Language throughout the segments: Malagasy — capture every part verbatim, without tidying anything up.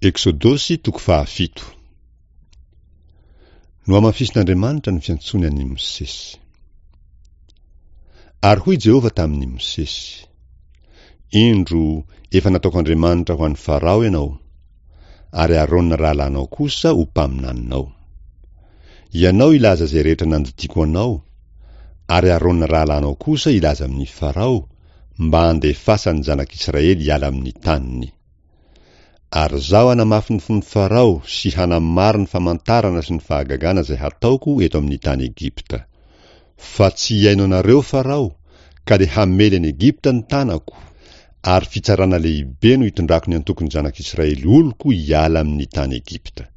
Eksodosy toko fahafito. Nohamafisin'Andriamanitra ny fiantsoany an'i Mosesy. Ary hoy Jehovah tamin'i Mosesy, Indro, efa nataoko Andriamanitra ho an'i Farao ianao, ary Arona rahalahinao kosa ho mpaminaninao. Ianao hilaza izay rehetra nandidiako anao, ary Arona rahalahinao kosa hilaza amin'i Farao, mba handefasany ny zanak'Israely hiala amin'ny taniny. Ary Izaho hanamafy ny fon'i Farao sy hanamaro ny famantarana sy ny fahagagana izay hataoko eto amin'ny tany Egypta. Fa tsy hihaino anareo Farao, ka dia hamely an'i Egypta ny tanako, ary fitsarana lehibe no hitondrako ny antokon'ny zanak'Israely oloko hiala amin'ny tany Egypta.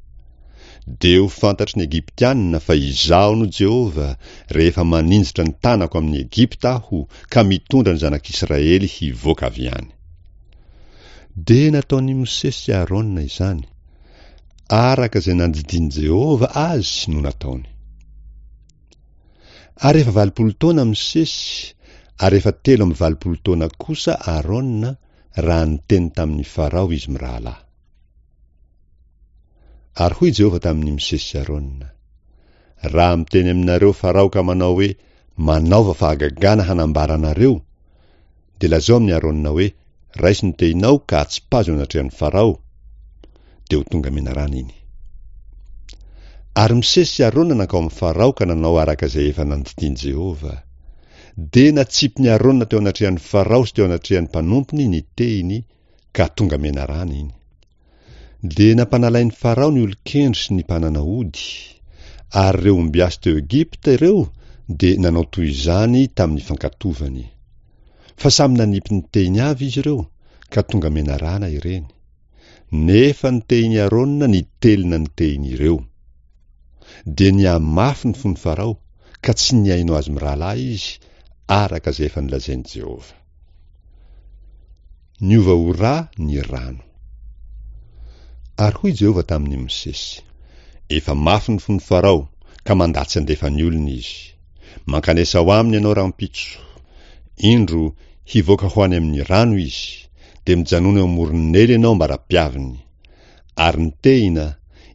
Dia ho fantatry ny Egyptianina fa Izaho no Jehovah, rehefa maninjitra ny tanako amin'i Egypta Aho ka mitondra ny zanak'Israely hivoaka avy any. Dia nataon'i Mosesy sy Arona izany, araka izay nandidian'i Jehovah azy no nataony. Ary efa valopolo taona Mosesy, ary efa telo amby valopolo taona kosa Arona raha niteny tamin'i Farao izy mirahalahy. Ary hoy Jehovah tamin'i Mosesy sy Arona, Raha miteny aminareo Farao ka manao hoe, Manaova fahagagana hanambara anareo, dia lazao amin'i Arona hoe, Raiso ny tehinao ka atsipazo eo anatrehan'i Farao, dia ho tonga menarana iny. Ary Mosesy sy Arona nankao amin'i Farao ka nanao araka izay efa nandidian'i Jehovah. Dia natsipin'i Arona teo anatrehan'i Farao sy teo anatrehan'ny mpanompony ny tehiny, ka tonga menarana iny. Dia nampanalain'i Farao ny olon-kendry sy ny mpanana ody, ary ireo ombiasy teo Egypta ireo dia nanao toy izany tamin'ny fankatovany. Fa samy nanipy ny tehiny avy izy ireo, ka tonga menarana ireny. Nefa ny tehin'i Arona nitelina ny tehin'ireo. Dia nihamafy ny fon'i Farao, ka tsy nihaino azy mirahalahy izy, araka izay efa nolazain'i Jehovah. Niova ho ra ny rano. Ary hoy Jehovah tamin'i Mosesy, Efa mafy ny fon'i Farao, ka mandà tsy handefa ny olony izy. Mankanesa ao aminy ianao rahampitso. Indro, hivoaka ho any amin'ny rano izy, dia mijanona eo amoron'ny Neily ianao ambara-piaviny. Ary ny tehina,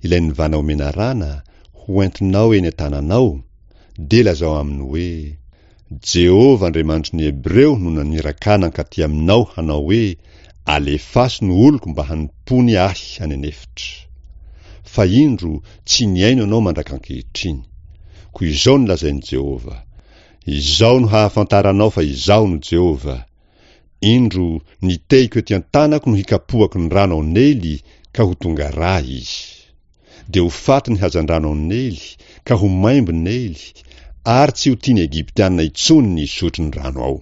ilay nivana ho menarana, ho entinao eny an-tananao, dia lazao aminy hoe, Jehovah Andriamanitry ny Hebreo no naniraka ahy nankaty aminao hanao hoe, Alefaso ny oloko mba hanompoany ahy any an'efitra. Fa indro, tsy nihaino ianao mandrak'ankehitriny. Koa izao no lazain'i Jehovah, Izao no hahafantaranao fa Izaho no Jehovah, Indro, ny tehiko ety an-tanako no hikapohako ny rano ao Neily, ka ho tonga rà izy. Dia ho faty ny hazandrano ao Neily, ka ho maimbo Neily, ary tsy ho tian'ny Egyptiana intsony ny hisotro ny rano ao.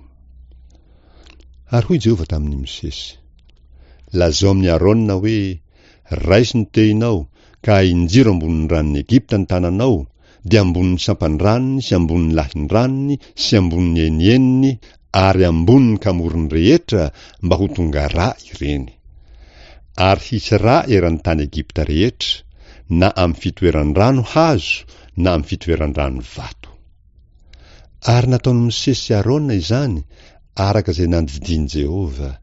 Ary hoy Jehovah tamin'i Mosesy, Lazao amin'i Arona hoe, Raiso ny tehinao, ka ahinjiro ambonin'ny ranon'i Egypta ny tananao, dia ambonin'ny sampan-dranony sy ambonin'ny lahin-dranony sy ambonin'ny enieniny ary ambonin'ny kamorony rehetra mba ho tonga rà ireny. Ary hisy rà eran'ny tany Egypta rehetra, na amin'ny fitoeran-drano hazo na amin'ny fitoeran-drano vato. Ary nataon'i Mosesy sy Arona izany araka izay nandidian'i Jehovah.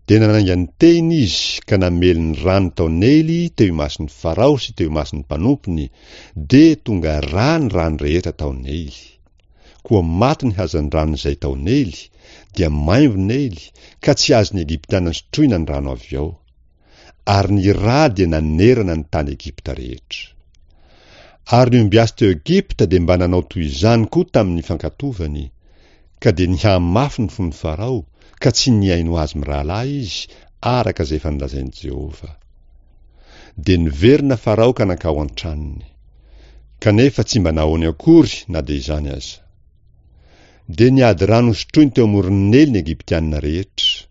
Dia nanainga ny tehiny izy ka namely ny rano tao Neily teo imason'i Farao sy teo imason'ny mpanompony, dia tonga rà ny rano rehetra tao Neily. Koa maty ny hazandrano izay tao Neily, dia maimbo Neily, ka tsy azon'ny Egyptiana sotroina ny rano avy ao. Ary ny rà dia nanerana ny tany Egypta rehetra. Ary ny ombiasy teo Egypta dia mba nanao toy izany koa tamin'ny fankatovany, ka dia nihamafy ny fon'i Farao, ka tsy nihaino azy mirahalahy izy, araka izay efa nolazain'i Jehovah. Dia niverina Farao ka nankao an-tranony. Kanefa tsy mba nahoany akory na dia izany aza. Dia niady rano hosotroiny teo amoron'i Neily ny Egyptiana rehetra,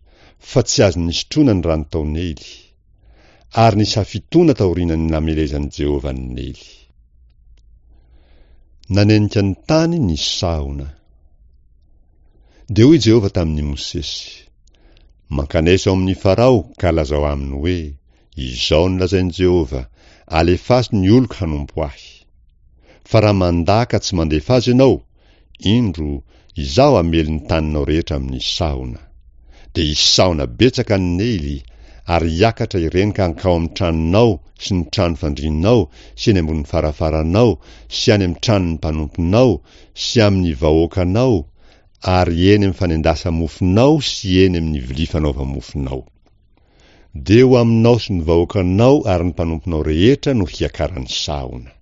fa tsy azony nisotroina ny rano tao Neily. Ary nisy hafitoana taorianan'ny namelezan'i Jehovah an'i Neily. Nanenika ny tany ny sahona. Dia hoy Jehovah tamin'i Mosesy, Mankanesa ao amin'i Farao ka lazao aminy hoe, Izao no lazain'i Jehovah, Alefaso ny oloko hanompo ahy. Fa raha mandà ka tsy mandefa azy ianao, indro, Izaho hamely ny taninao rehetra amin'ny sahona. Dia hisy sahona betsaka any Neily, ary hiakatra ireny ka hankao amin'ny tranonao sy ny trano fandrianao sy eny ambonin'ny farafaranao sy any amin'ny tranon'ny mpanomponao sy amin'ny vahoakanao ary eny amin'ny fanendasa-mofonao sy eny amin'ny vilia fanaova-mofonao. Dia ho aminao sy ny vahoakanao ary ny mpanomponao rehetra no hiakaran'ny sahona.